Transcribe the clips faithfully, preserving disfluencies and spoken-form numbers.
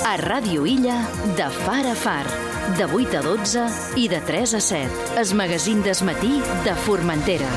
A Ràdio Illa, de far a far, de vuit a dotze i de tres a set. El magazín d'Es Matí de Formentera.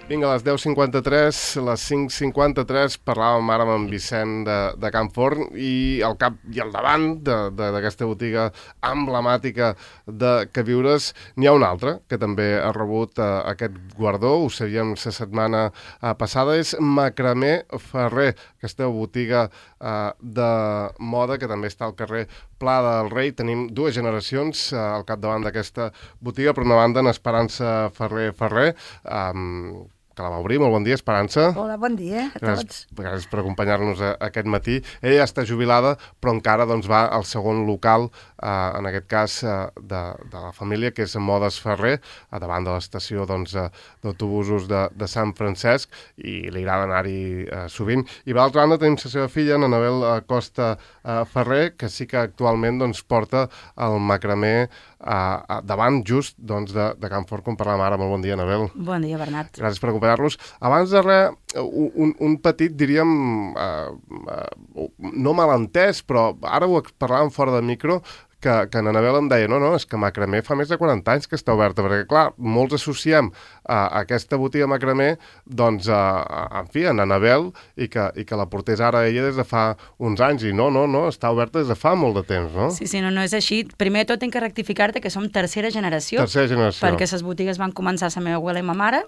Vinga, a les deu cinquanta-tres, les cinc cinquanta-tres, parlàvem ara amb en Vicent de, de Can Forn i al cap i al davant d'aquesta botiga emblemàtica de queviures n'hi ha una altra que també ha rebut uh, aquest guardó, ho sabíem la setmana uh, passada, és Macramé Ferrer, aquesta botiga uh, de moda que també està al carrer Pla del Rei. Tenim dues generacions uh, al capdavant d'aquesta botiga. Per una banda, en Esperança Ferrer Ferrer, um, que la va obrir. Molt bon dia, Esperança. Hola, bon dia a tots. Gràcies, gràcies per acompanyar-nos a, a aquest matí. Ella ja està jubilada, però encara doncs, va al segon local, eh, en aquest cas eh, de, de la família, que és Modes Ferrer, a davant de l'estació doncs, d'autobusos de, de Sant Francesc, i li agrada anar-hi eh, sovint. I per l'altra banda tenim la seva filla, Anabel Costa eh, Ferrer, que sí que actualment doncs, porta el macramé Uh, davant just doncs, de, de Can Forn, com parlàvem ara. Molt bon dia, Anabel. Bon dia, Bernat. Gràcies per acompanyar-nos. Abans de res, un, un petit, diríem, uh, uh, no malentès, però ara ho parlàvem fora de micro, que, que en Anabel em deia, no, no, és que Macramé fa més de quaranta anys que està oberta, perquè, clar, molts associem a, a aquesta botiga Macramé, doncs, a, a, en fi, en Anabel, i que, i que la portés ara ella des de fa uns anys, i no, no, no, està oberta des de fa molt de temps, no? Sí, sí, no, no és així. Primer tot tinc que rectificar-te que som tercera generació. Tercera generació. Perquè les botigues van començar a la meva abuela i ma mare,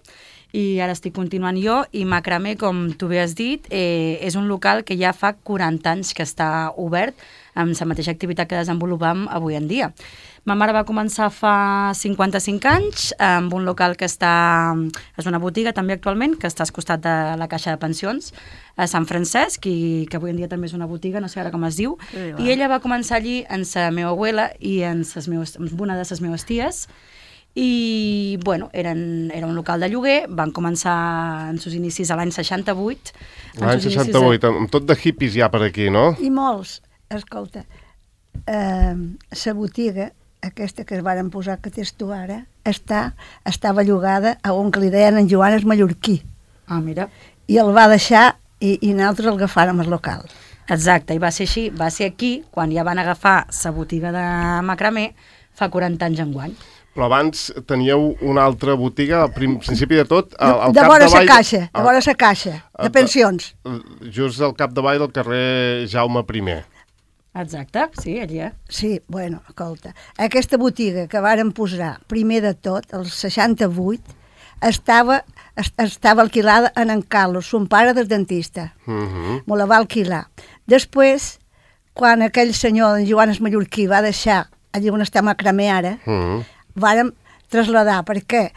i ara estic continuant jo, i Macramé, com tu bé has dit, eh, és un local que ja fa quaranta anys que està obert, amb la mateixa activitat que desenvolupam avui en dia. Ma mare va començar fa cinquanta-cinc anys amb un local que està... és una botiga també actualment, que està al costat de la Caixa de Pensions, a Sant Francesc, i que avui en dia també és una botiga, no sé ara com es diu, sí, i ella va començar allí amb la meva abuela i amb, ses meus, amb una de les meves ties, i, bueno, eren, era un local de lloguer, van començar en seus inicis a l'any seixanta-vuit. L'any seixanta-vuit, de... amb tot de hippies ja per aquí, no? I molts. Escolta, eh, la botiga, aquesta que es varen posar que tens tu ara, està, estava llogada a un que li deien en Joan és mallorquí. Ah, mira. I el va deixar i, i nosaltres el agafàrem al local. Exacte, i va ser així, va ser aquí, quan ja van agafar la botiga de Macramé, fa quaranta anys enguany. Però abans teníeu una altra botiga, al principi de tot, al, al de cap vora davall... De caixa, de vora la caixa, de pensions. Just al capdavall del carrer Jaume primer. Exacte, sí, allà. Sí, bueno, escolta, aquesta botiga que varen posar primer de tot, el seixanta-vuit, estava, estava alquilada en en Carlos, son pare del dentista. Uh-huh. Me la va alquilar. Després, quan aquell senyor, en Joan Mallorquí, va deixar allà on està Macramé ara, uh-huh. vàrem traslladar, perquè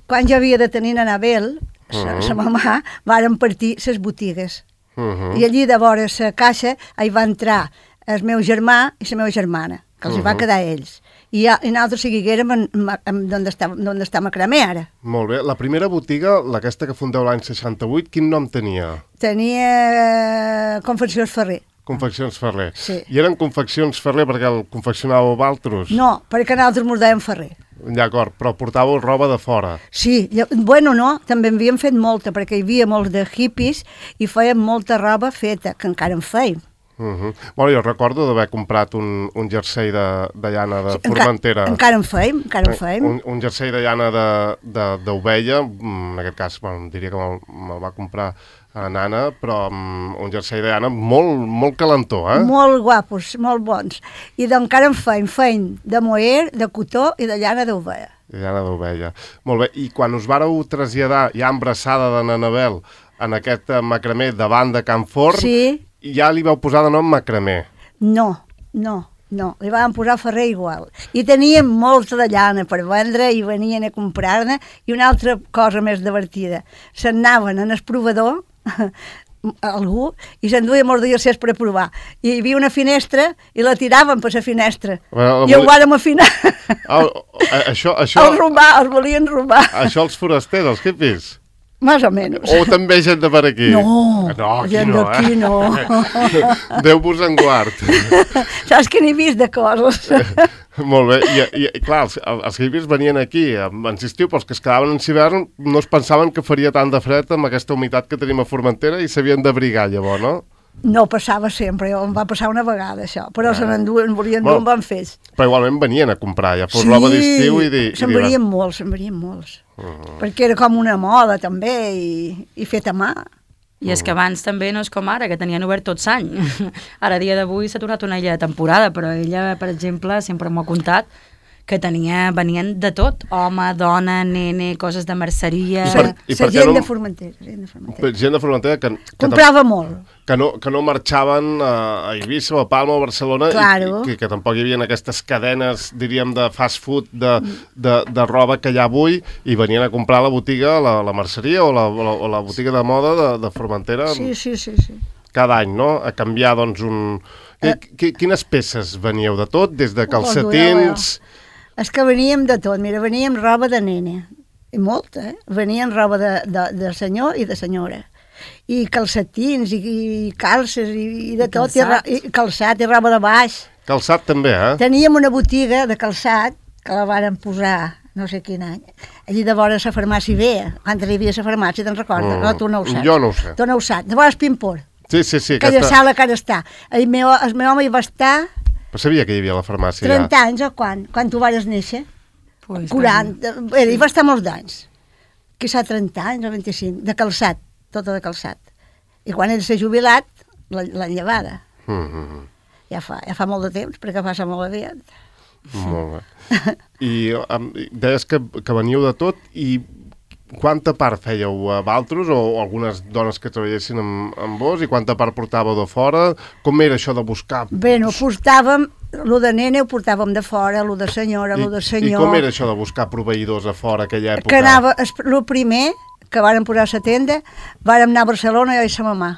quan jo havia de tenir Anabel, sa, uh-huh. sa mamà, vàrem partir ses botigues. Uh-huh. I allí de vora la caixa hi va entrar el meu germà i la meva germana, que els uh-huh. va quedar ells. I, i nosaltres seguiguérem d'on està, està Macramé ara. Molt bé. La primera botiga, aquesta que fundeu l'any seixanta-vuit, quin nom tenia? Tenia eh, Confeccions Ferrer. Confeccions Ferrer. Sí. I eren Confeccions Ferrer perquè el confeccionàveu altres? No, perquè nosaltres mos dèiem Ferrer. D'acord, però portàveu roba de fora? Sí, bueno, no, també en havíem fet molta, perquè hi havia molts de hippies i fèiem molta roba feta, que encara en feim. Uh-huh. Bueno, jo recordo d'haver comprat un, un jersei de, de llana de sí, Formentera. Enca, encara en feim, encara en feim. Un, un jersei de llana d'ovella, en aquest cas, bueno, diria que me'l me va comprar a Nana, però um, un jersei de llana molt, molt calentó, eh? Molt guapos, molt bons. I d'encara en feim, feim de moer, de cotó i de llana d'ovella. De llana d'ovella. Molt bé, i quan us vareu traslladar ja embrassada de Anabel en aquest macramé davant de Can Forn, sí. ja li vau posar de nom Macramé? No, no, no, li vam posar Ferrer igual. I teníem molts de llana per vendre i venien a comprar-ne, i una altra cosa més divertida. Se'n anaven en el provador, algú, i s'enduia molts dies per a provar. I hi havia una finestra i la tiraven per la finestra. Well, I ho vàrem afinar. Oh, això, això... Els robar, els volien robar. Això els forasters, els hippies? Más o menos. O també gent de per aquí? No, no aquí gent no, d'aquí eh? no. Déu-vos en guard. Saps que n'he vist de coses. Molt bé, i, i clar, els, els hippies venien aquí, en estiu, però els que es quedaven en hivern no es pensaven que faria tant de fred amb aquesta humitat que tenim a Formentera i s'havien d'abrigar llavors, no? No passava sempre, em va passar una vegada això, però ah. se n'enduen, en volien dur Bueno, un bon fes. Però igualment venien a comprar, ja fos roba d'estiu i... Di, se'n i venien molts, se'n venien molts. Uh-huh. Perquè era com una moda també i, i fet a mà. I és que abans també no és com ara, que tenien obert tot l'any. Ara, a dia d'avui, s'ha tornat una illa de temporada, però ella, per exemple, sempre m'ho ha contat, que tenia, venien de tot, home, dona, nene, coses de merceria... I per, i per gent, no, de Formentera, gent de Formentera. Gent de Formentera que, que, comprava molt. Que no, que no marxaven a Eivissa, o a Palma o a Barcelona, claro. i que, que tampoc hi havia aquestes cadenes, diríem, de fast food, de, de, de roba que hi ha avui, i venien a comprar a la botiga, la, la merceria o la, o la, o la botiga de moda de, de Formentera. Sí, sí, sí, sí. Cada any, no? A canviar, doncs, un... Eh, quines peces veníeu de tot? Des de calcetins... És que veníem de tot, mira, veníem roba de nene, i molta, eh? Venien roba de, de, de senyor i de senyora, i calcetins, i, i calces, i, i de I tot, calçat. I, i calçat, i roba de baix. Calçat també, eh? Teníem una botiga de calçat, que la varen posar, no sé quin any, allí de vora la farmàcia Vea, quan hi havia la farmàcia, te'n recordes? Mm, no, tu no ho saps. Jo no ho sé. Tu no ho saps, de vora el Pimpor. Sí, sí, sí. Aquella aquesta... sala que ara està. El meu, el meu home hi va estar... Però sabia que hi havia la farmàcia trenta ja. anys o quan? Quan tu vas néixer? Pues quaranta. Bé, hi va estar molts d'anys. Quizà trenta anys o vint-i-cinc. De calçat, tota de calçat. I quan ell s'ha jubilat, l'han llevada. Mm -hmm. Ja fa, ja fa molt de temps, perquè passa molt aviat. Molt bé. I um, deies que, que veníeu de tot, i quanta part fèieu a Valtros, o, o algunes dones que treballessin amb, amb vos, i quanta part portàveu de fora? Com era això de buscar? Bé, no, portàvem, lo de nene ho portàvem de fora, lo de senyora, lo de senyor... I com era això de buscar proveïdors a fora aquella època? Que anava, el primer, que vàrem posar a la tenda, vàrem anar a Barcelona, jo i sa mamà.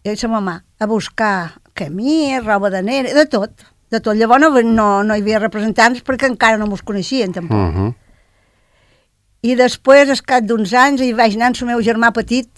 Jo i sa mamà, a buscar camí, roba de nene, de tot, de tot. Llavors no, no, no hi havia representants perquè encara no mos coneixien, tampoc. Uh -huh. I després, al cap d'uns anys, hi vaig anar amb el meu germà petit,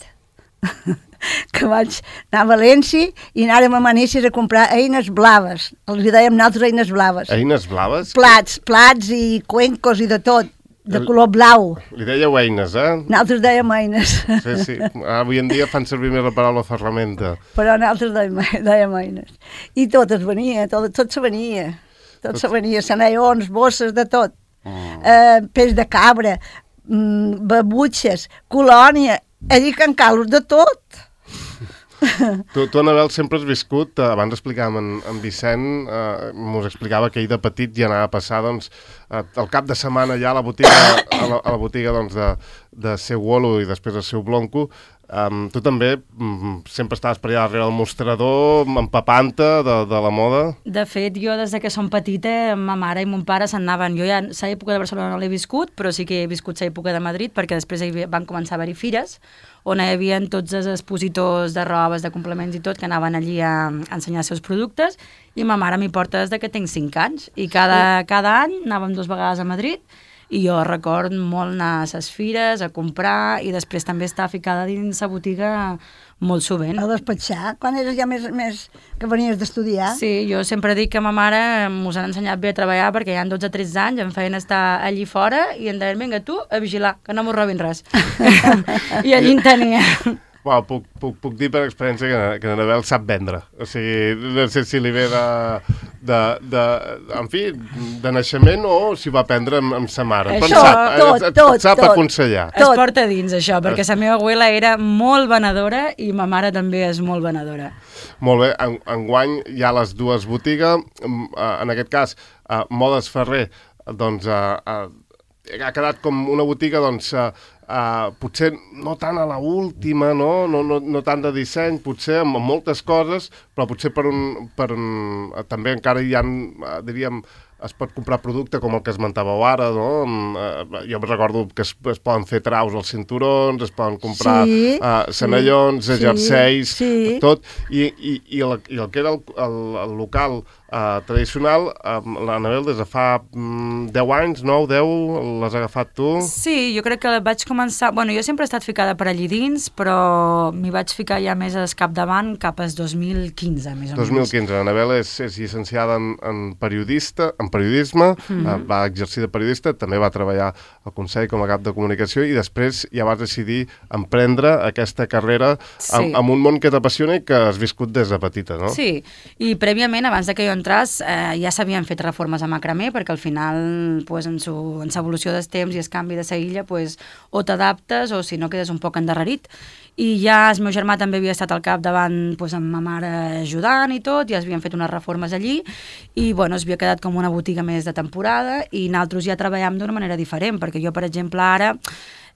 que vaig anar a València i anàrem a Manises a comprar eines blaves. Els dèiem nosaltres eines blaves. Eines blaves? Plats, plats i cuencos i de tot, de color blau. Li dèieu eines, eh? Nosaltres dèiem eines. Sí, sí. Avui en dia fan servir més la paraula ferramenta. Però nosaltres dèiem, dèiem eines. I tot es venia, tot, tot se venia. Tot, tot... se venia, sanaions, bosses, de tot. Mm. Eh, peix de cabra, babutxes, colònia, allí Can Carlos, de tot. Tu, tu, Anabel, sempre has viscut, abans explicàvem en, en Vicent, eh, mos explicava que ell de petit ja anava a passar, doncs, eh, el cap de setmana ja a la botiga, a la, a la botiga doncs, de, de seu Wolo i després de seu Blanco. Um, tu també um, sempre estaves per allà darrere del mostrador, empapant-te de, de la moda? De fet, jo des que som petita, ma mare i mon pare se'n anaven. Jo ja l'època de Barcelona no l'he viscut, però sí que he viscut l'època de Madrid, perquè després van començar a haver-hi fires, on hi havia tots els expositors de robes, de complements i tot, que anaven allí a, a ensenyar els seus productes, i ma mare m'hi porta des que tinc cinc anys, i cada, cada any anàvem dues vegades a Madrid, i jo record molt anar a les fires, a comprar, i després també estar ficada dins la botiga molt sovint. A despatxar, quan eres ja més, més que venies d'estudiar. Sí, jo sempre dic que ma mare mos han ensenyat bé a treballar, perquè ja en dotze o tretze anys em feien estar allí fora i em deien, vinga, tu, a vigilar, que no mos robin res. I allí en tenia. Well, puc, puc, puc dir per experiència que, que l'Anabel sap vendre. O sigui, no sé si li ve de, de, de, en fi, de naixement o si va aprendre amb, amb sa mare. Això, sap, tot, et, tot, sap tot. aconsellar. Es porta dins, això, perquè la meva abuela era molt venedora i ma mare també és molt venedora. Molt bé, en, enguany hi ha les dues botigues, en aquest cas, Modes Ferrer, doncs, ha quedat com una botiga, doncs, Uh, potser no tant a la última, no? No, no, no tant de disseny, potser amb, amb moltes coses, però potser per un, per un, també encara hi ha, uh, diríem, es pot comprar producte com el que esmentàveu ara, no? Uh, jo em recordo que es, es poden fer traus als cinturons, es poden comprar sí, uh, senallons, sí, jerseis, sí. tot, i, i, i, el, i el que era el, el, el local uh, tradicional, uh, l'Anabel des de fa um, deu anys, nou, deu, l'has agafat tu? Sí, jo crec que vaig començar començar... Bueno, jo sempre he estat ficada per allí dins, però m'hi vaig ficar ja més al capdavant cap al dos mil quinze, més o menys. dos mil quinze. L'Anabel és, és llicenciada en, en, periodista, en periodisme, mm-hmm. va exercir de periodista, també va treballar al Consell com a cap de comunicació i després ja vas decidir emprendre aquesta carrera sí. amb, amb un món que t'apassiona i que has viscut des de petita, no? Sí, i prèviament, abans de que jo entràs, eh, ja s'havien fet reformes a macramé, perquè al final, pues, en l'evolució dels temps i el canvi de sa illa, pues, o t'adaptes o si no quedes un poc endarrerit. I ja el meu germà també havia estat al capdavant pues, amb ma mare ajudant i tot, ja es havien fet unes reformes allí i bueno, es havia quedat com una botiga més de temporada i nosaltres ja treballàvem d'una manera diferent, perquè jo, per exemple, ara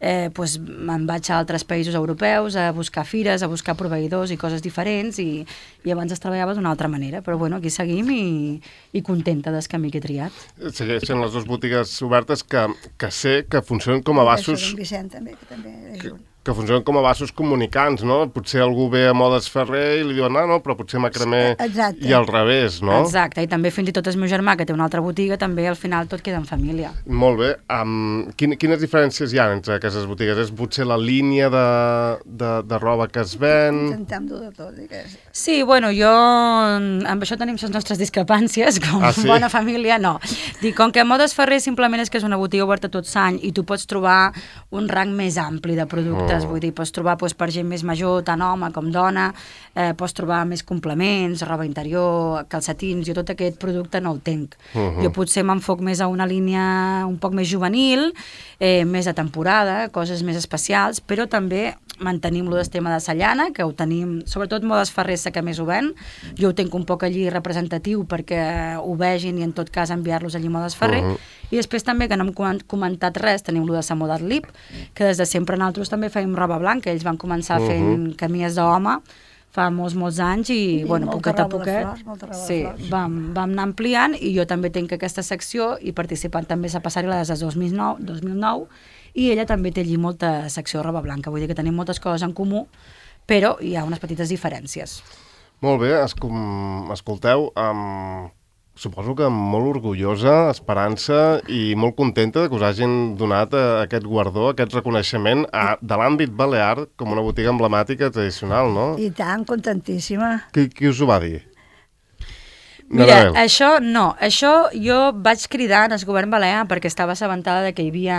eh, pues, me'n vaig a altres països europeus a buscar fires, a buscar proveïdors i coses diferents i, i abans es treballava d'una altra manera, però bueno, aquí seguim i, i contenta del camí que he triat. Segueixen les dues botigues obertes que, que sé que funcionen com a vasos... Vicent també, que també és un... que funcionen com a vasos comunicants, no? Potser algú ve a Modes Ferrer i li diuen, ah, no, però potser macramé Exacte. I al revés, no? Exacte, i també fins i tot el meu germà, que té una altra botiga, també al final tot queda en família. Molt bé. Um, quin, quines diferències hi ha entre aquestes botigues? És potser la línia de, de, de roba que es ven? Intentem dur de tot, digues. Sí, bueno, jo... Amb això tenim les nostres discrepàncies, com ah, sí? bona família, no. Dic, com que Modes Ferrer simplement és que és una botiga oberta tot l'any i tu pots trobar un rang més ampli de productes, oh. vull dir, pots trobar pues, per gent més major, tant home com dona, eh, pots trobar més complements, roba interior, calcetins, jo tot aquest producte no el tenc. Uh-huh. Jo potser m'enfoc més a una línia un poc més juvenil, eh, més de temporada, coses més especials, però també mantenim lo del tema de sa llana, que ho tenim, sobretot Modes Ferrer que més ho ven, jo ho tenc un poc allí representatiu perquè ho vegin i en tot cas enviar-los allí a Modes Ferrer, uh-huh. i després també, que no hem comentat res, tenim lo de sa Moda Lip, que des de sempre nosaltres també fèiem roba blanca, ells van començar uh-huh. fent camies d'home fa molts, molts anys i, I bueno, poquet a poquet sí, vam, vam anar ampliant i jo també tenc aquesta secció i participant també a passar-hi des de dos mil nou, dos mil nou i ella també té allí molta secció de roba blanca, vull dir que tenim moltes coses en comú, però hi ha unes petites diferències. Molt bé, escol escolteu, um, suposo que molt orgullosa, esperança i molt contenta que us hagin donat uh, aquest guardó, aquest reconeixement a, de l'àmbit balear com una botiga emblemàtica tradicional, no? I tant, contentíssima. Qui, qui us ho va dir? Mira, Nadal. Això no, això jo vaig cridar al govern balear perquè estava assabentada de que hi havia,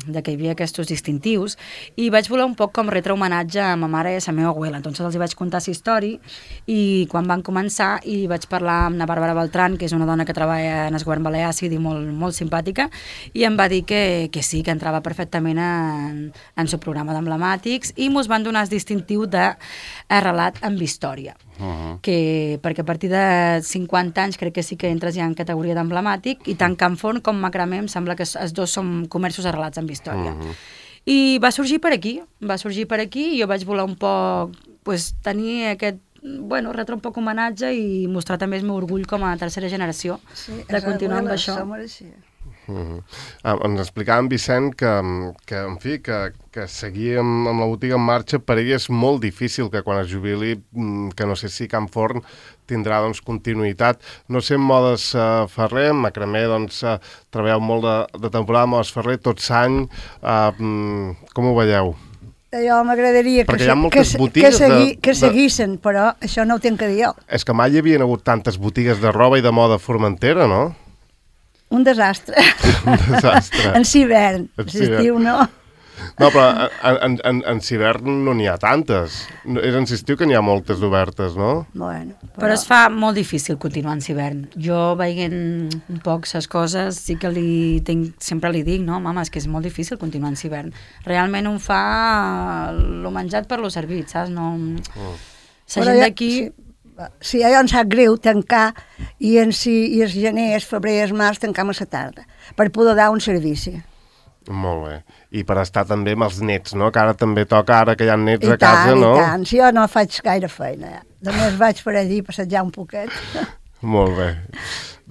de que hi havia aquests distintius i vaig voler un poc com retre homenatge a ma mare i a la meva abuela, entonces els vaig contar la història i quan van començar i vaig parlar amb la Bàrbara Beltrán, que és una dona que treballa en el govern balear, sí, molt, molt simpàtica, i em va dir que, que sí, que entrava perfectament en, en el programa d'emblemàtics i mos van donar el distintiu de arrelat amb història. Uh-huh. que, perquè a partir de cinquanta anys crec que sí que entres ja en categoria d'emblemàtic i tant Can Forn com Macramé em sembla que els dos són comerços arrelats amb història. Uh-huh. I va sorgir per aquí, va sorgir per aquí i jo vaig voler un poc pues, tenir aquest, bueno, retre un poc homenatge i mostrar també el meu orgull com a tercera generació sí, de continuar amb això. Uh-huh. ah, ens explicava en Vicent que, que en fi, que, que seguir amb, amb la botiga en marxa per ell és molt difícil, que quan es jubili, que no sé si Can Forn tindrà doncs, continuïtat. No sé, en Modes uh, Ferrer, en Macramé, doncs, uh, treballeu molt de, de temporada, Modes Ferrer, tot l'any. Uh, com ho veieu? Jo m'agradaria que, que, que, segui, de, que seguissin, de... però això no ho tenc que dir jo. És que mai hi havia hagut tantes botigues de roba i de moda a Formentera, no? Un desastre. Un desastre. En hivern, en estiu no. No, però en, en, en hivern no n'hi ha tantes. És en estiu que n'hi ha moltes obertes, no? Bueno, però... però es fa molt difícil continuar en hivern. Jo, veient un poc les coses, sí que li tinc, sempre li dic, no, mama, és que és molt difícil continuar en hivern. Realment un fa lo menjat per lo servit, saps? No... Oh. La gent d'aquí... Sí. Si allò ens sap greu tancar i en si i el gener, el febrer i el març tancam a la tarda per poder dar un servici. Molt bé. I per estar també amb els nets, no? Que ara també toca, ara que hi ha nets I a casa, tant, no? I tant, si jo no faig gaire feina. Ja. Només vaig per allí passejar un poquet. Molt bé.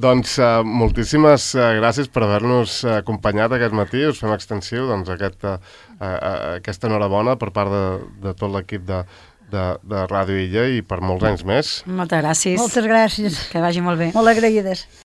Doncs uh, moltíssimes uh, gràcies per haver-nos uh, acompanyat aquest matí. Us fem extensiu doncs, aquest, uh, uh, aquesta enhorabona per part de, de tot l'equip de De, de Ràdio Illa i per molts anys més. Moltes gràcies. Moltes gràcies. Que vagi molt bé. Molt agraïdes.